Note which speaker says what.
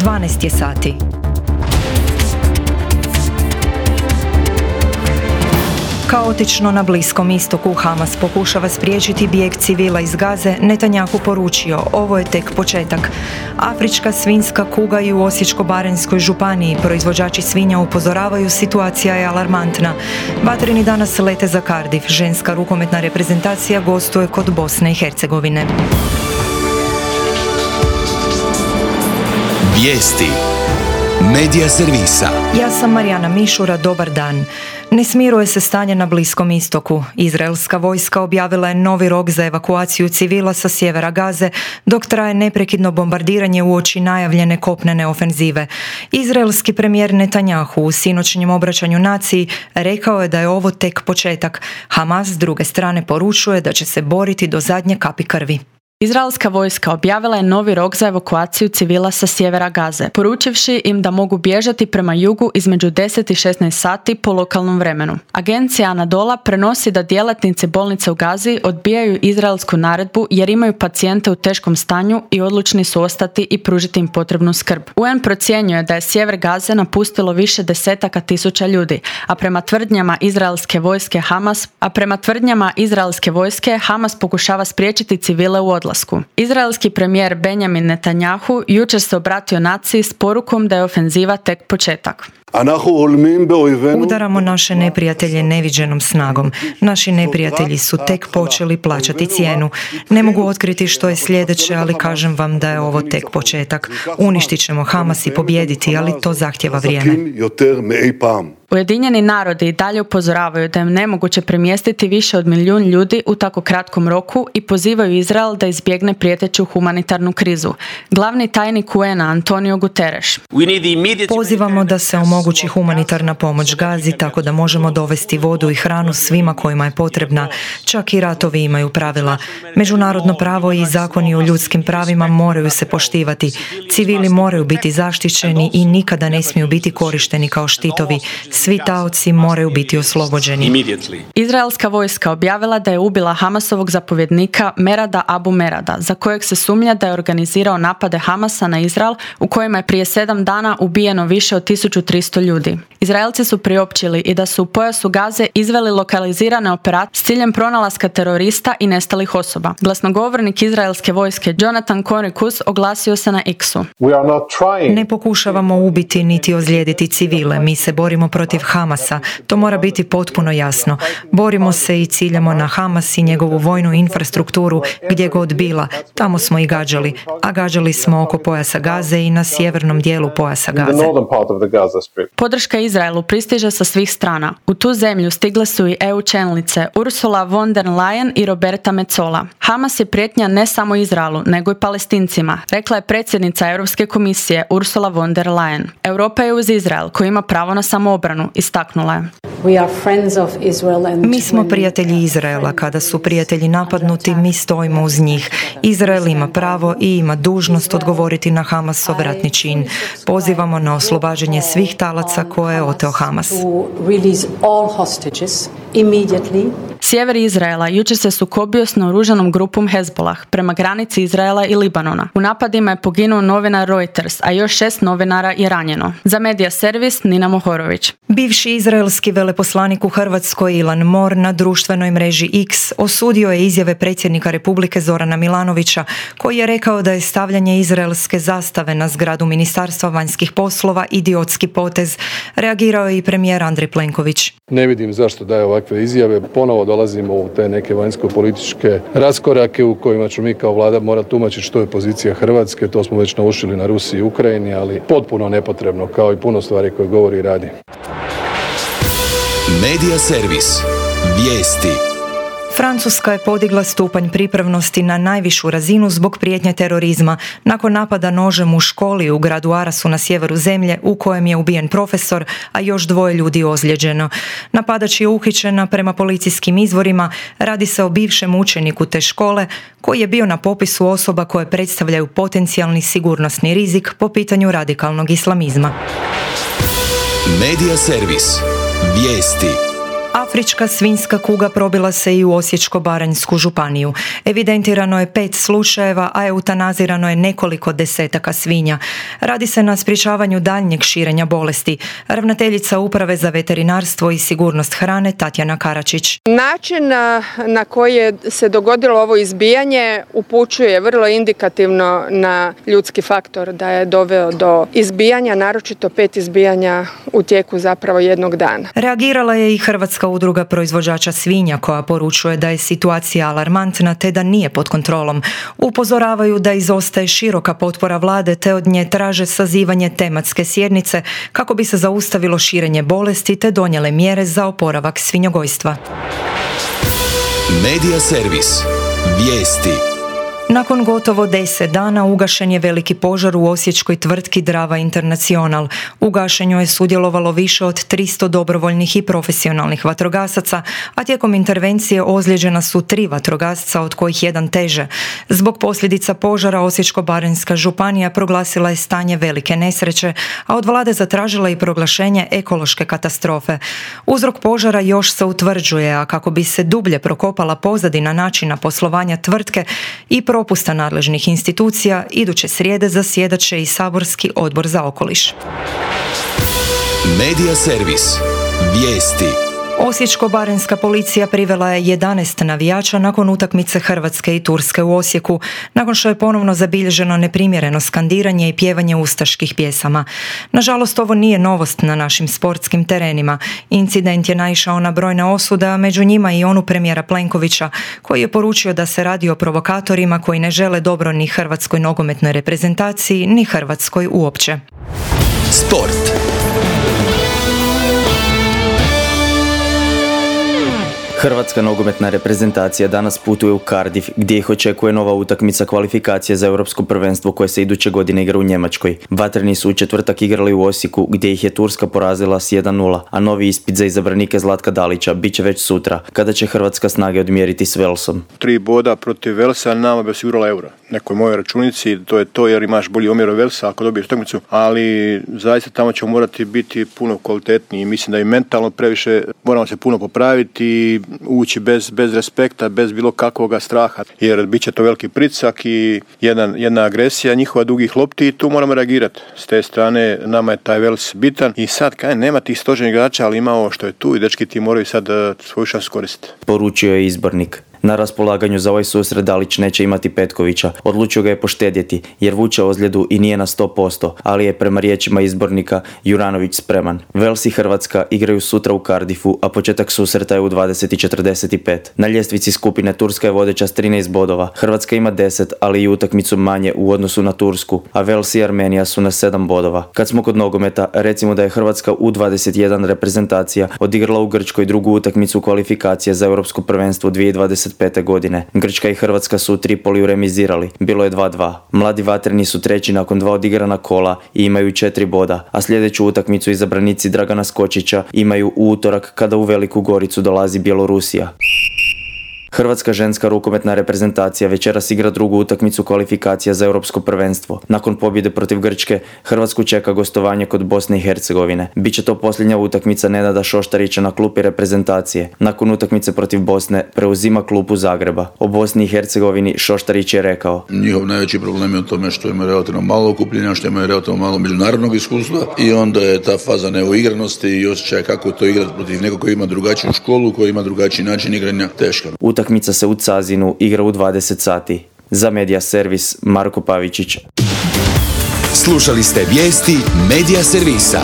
Speaker 1: 12 je sati. Kaotično na Bliskom istoku Hamas pokušava spriječiti bijeg civila iz Gaze, Netanjahu poručio, ovo je tek početak. Afrička svinjska kuga i u Osječko-baranjskoj županiji proizvođači svinja upozoravaju, situacija je alarmantna. Vatreni danas lete za Cardiff, ženska rukometna reprezentacija gostuje kod Bosne i Hercegovine.
Speaker 2: Vijesti Medija servisa.
Speaker 1: Ja sam Marijana Mišura, dobar dan. Ne smiruje se stanje na Bliskom istoku. Izraelska vojska objavila je novi rok za evakuaciju civila sa sjevera Gaze, dok traje neprekidno bombardiranje uoči najavljene kopnene ofenzive. Izraelski premijer Netanjahu u sinoćnjem obraćanju naciji rekao je da je ovo tek početak. Hamas s druge strane poručuje da će se boriti do zadnje kapi krvi.
Speaker 3: Izraelska vojska objavila je novi rok za evakuaciju civila sa sjevera Gaze, poručivši im da mogu bježati prema jugu između 10 i 16 sati po lokalnom vremenu. Agencija Anadola prenosi da djelatnici bolnice u Gazi odbijaju izraelsku naredbu jer imaju pacijente u teškom stanju i odlučni su ostati i pružiti im potrebnu skrb. UN procjenjuje da je sjever Gaze napustilo više desetaka tisuća ljudi, a prema tvrdnjama izraelske vojske Hamas pokušava spriječiti civile u odlasku. Izraelski premijer Benjamin Netanjahu jučer se obratio naciji s porukom da je ofenziva tek početak.
Speaker 1: Udaramo naše neprijatelje neviđenom snagom. Naši neprijatelji su tek počeli plaćati cijenu. Ne mogu otkriti što je sljedeće, ali kažem vam da je ovo tek početak. Uništit ćemo Hamas i pobijediti, ali to zahtjeva vrijeme.
Speaker 3: Ujedinjeni narodi i dalje upozoravaju da je nemoguće premjestiti više od 1 milijun ljudi u tako kratkom roku i pozivaju Izrael da izbjegne prijeteću humanitarnu krizu. Glavni tajnik UN-a Antonio Guterres.
Speaker 1: Pozivamo da se omogući humanitarna pomoć Gazi tako da možemo dovesti vodu i hranu svima kojima je potrebna. Čak i ratovi imaju pravila. Međunarodno pravo i zakoni o ljudskim pravima moraju se poštivati. Civili moraju biti zaštićeni i nikada ne smiju biti korišteni kao štitovi. Svi taoci moraju biti oslobođeni.
Speaker 3: Izraelska vojska objavila da je ubila Hamasovog zapovjednika Merada Abu Merada, za kojeg se sumnja da je organizirao napade Hamasa na Izrael, u kojima je prije 7 dana ubijeno više od 1300 ljudi. Izraelci su priopćili i da su u pojasu Gaze izveli lokalizirane operacije s ciljem pronalaska terorista i nestalih osoba. Glasnogovornik izraelske vojske Jonathan Conricus oglasio se na X-u.
Speaker 1: Ne pokušavamo ubiti niti ozlijediti civile, mi se borimo protiv Hamasa. To mora biti potpuno jasno. Borimo se i ciljamo na Hamas i njegovu vojnu infrastrukturu gdje god bila. Tamo smo i gađali, a gađali smo oko pojasa Gaze i na sjevernom dijelu pojasa Gaze.
Speaker 3: Podrška Izraelu pristiže sa svih strana. U tu zemlju stigle su i EU čelnice Ursula von der Leyen i Roberta Metsola. Hamas je prijetnja ne samo Izraelu, nego i Palestincima, rekla je predsjednica Europske komisije Ursula von der Leyen. Europa je uz Izrael, koji ima pravo na samoobranu, istaknula je.
Speaker 1: Mi smo prijatelji Izraela. Kada su prijatelji napadnuti, mi stojimo uz njih. Izrael ima pravo i ima dužnost odgovoriti na Hamasov ratni čin. Pozivamo na oslobađanje svih talaca koje je oteo Hamas.
Speaker 3: Sjever Izraela jučer se sukobio s naoružanom grupom Hezbollah prema granici Izraela i Libanona. U napadima je poginuo novinar Reuters, a još 6 novinara je ranjeno. Za Medija servis Nina Mohorović.
Speaker 1: Bivši izraelski veleposlanik u Hrvatskoj Ilan Mor na društvenoj mreži X osudio je izjave predsjednika Republike Zorana Milanovića, koji je rekao da je stavljanje izraelske zastave na zgradu Ministarstva vanjskih poslova idiotski potez. Reagirao je i premijer Andrej Plenković.
Speaker 4: Ne vidim zašto daje ovakve izjave. Ponovo dolazimo u te neke vanjsko-političke raskorake u kojima ću mi kao vlada morati tumačiti što je pozicija Hrvatske. To smo već naučili na Rusiji i Ukrajini, ali potpuno nepotrebno, kao i puno stvari koje govori i radi.
Speaker 2: Medija servis. Vijesti.
Speaker 1: Francuska je podigla stupanj pripravnosti na najvišu razinu zbog prijetnje terorizma nakon napada nožem u školi u gradu Arasu na sjeveru zemlje u kojem je ubijen profesor, a još 2 ljudi ozlijeđeno. Napadač je uhićen, prema policijskim izvorima radi se o bivšem učeniku te škole koji je bio na popisu osoba koje predstavljaju potencijalni sigurnosni rizik po pitanju radikalnog islamizma.
Speaker 2: Medija servis. Vijesti.
Speaker 1: Afrička svinjska kuga probila se i u Osječko-baranjsku županiju. Evidentirano je 5 slučajeva, a eutanazirano je nekoliko desetaka svinja. Radi se na sprječavanju daljnjeg širenja bolesti. Ravnateljica Uprave za veterinarstvo i sigurnost hrane Tatjana Karačić.
Speaker 5: Način na koji je se dogodilo ovo izbijanje upućuje vrlo indikativno na ljudski faktor da je doveo do izbijanja, naročito 5 izbijanja u tijeku zapravo jednog dana.
Speaker 1: Reagirala je i Hrvatska udruga proizvođača svinja koja poručuje da je situacija alarmantna te da nije pod kontrolom. Upozoravaju da izostaje široka potpora vlade te od nje traže sazivanje tematske sjednice kako bi se zaustavilo širenje bolesti te donijele mjere za oporavak svinjogojstva.
Speaker 2: Medija servis. Vijesti.
Speaker 1: Nakon gotovo 10 dana ugašen je veliki požar u osječkoj tvrtki Drava International. U gašenju je sudjelovalo više od 300 dobrovoljnih i profesionalnih vatrogasaca, a tijekom intervencije ozlijeđena su 3 vatrogasca, od kojih jedan teže. Zbog posljedica požara Osječko-baranjska županija proglasila je stanje velike nesreće, a od vlade zatražila i proglašenje ekološke katastrofe. Uzrok požara još se utvrđuje, a kako bi se dublje prokopala pozadina načina poslovanja tvrtke i propusta nadležnih institucija, iduće srijede zasjedat će i saborski odbor za okoliš.
Speaker 2: Medija servis. Vijesti.
Speaker 1: Osječko-baranjska policija privela je 11 navijača nakon utakmice Hrvatske i Turske u Osijeku, nakon što je ponovno zabilježeno neprimjereno skandiranje i pjevanje ustaških pjesama. Nažalost, ovo nije novost na našim sportskim terenima. Incident je naišao na brojne osude, a među njima i onu premijera Plenkovića, koji je poručio da se radi o provokatorima koji ne žele dobro ni hrvatskoj nogometnoj reprezentaciji, ni Hrvatskoj uopće.
Speaker 2: Sport.
Speaker 6: Hrvatska nogometna reprezentacija danas putuje u Cardiff gdje ih očekuje nova utakmica kvalifikacije za europsko prvenstvo koje se iduće godine igra u Njemačkoj. Vatreni su u četvrtak igrali u Osijeku gdje ih je Turska porazila s 1:0, a novi ispit za izabranike Zlatka Dalića bit će već sutra kada će Hrvatska snage odmjeriti s Velsom.
Speaker 7: 3 boda protiv Velsa nama bi osigurala euro. Nekoj mojoj računici to je to jer imaš bolji omjer od Velsa ako dobiješ utakmicu, ali zaista tamo ćemo morati biti puno kvalitetniji. Mislim da i mentalno previše moramo se puno popraviti i ući bez respekta, bez bilo kakvoga straha, jer bit će to veliki pritisak i jedna agresija njihova dugih lopti i tu moramo reagirati. S te strane nama je taj Vels bitan i sad nema tih stožernih igrača, ali ima ovo što je tu i dečki ti moraju sad svoju šansu koristiti.
Speaker 6: Poručio je izbornik. Na raspolaganju za ovaj susret Dalić neće imati Petkovića. Odlučio ga je poštedjeti jer vuče ozljedu i nije na 100%, ali je prema riječima izbornika Juranović spreman. Vels i Hrvatska igraju sutra u Cardiffu, a početak susreta je u 20:45. Na ljestvici skupine Turska je vodeća s 13 bodova. Hrvatska ima 10, ali i utakmicu manje u odnosu na Tursku, a Vels i Armenija su na 7 bodova. Kad smo kod nogometa, recimo da je Hrvatska U21 reprezentacija odigrala u Grčkoj drugu utakmicu kvalifikacije za europsko prvenstvo 2025. godine. Grčka i Hrvatska su u Tripoliju remizirali. Bilo je 2:2. Mladi vatreni su treći nakon 2 odigrana kola i imaju 4 boda, a sljedeću utakmicu izabranici Dragana Skočića imaju u utorak kada u Veliku Goricu dolazi Bjelorusija. Hrvatska ženska rukometna reprezentacija večeras igra drugu utakmicu kvalifikacija za europsko prvenstvo. Nakon pobjede protiv Grčke, Hrvatsku čeka gostovanje kod Bosne i Hercegovine. Biće to posljednja utakmica Nenada Šoštarića na klupi reprezentacije. Nakon utakmice protiv Bosne preuzima klupu Zagreba. O Bosni i Hercegovini Šoštarić je rekao:
Speaker 8: njihov najveći problem je u tome što imaju relativno malo okupljenja, što imaju relativno malo međunarodnog iskustva i onda je ta faza neuigranosti i osjećaj kako to igrati protiv nekog koji ima drugačiju školu, koji ima drugačiji način igranja, teška.
Speaker 6: Utakmica se u Cazinu igra u 20 sati. Za Medija servis Marko Pavičić.
Speaker 2: Slušali ste vijesti Medija servisa.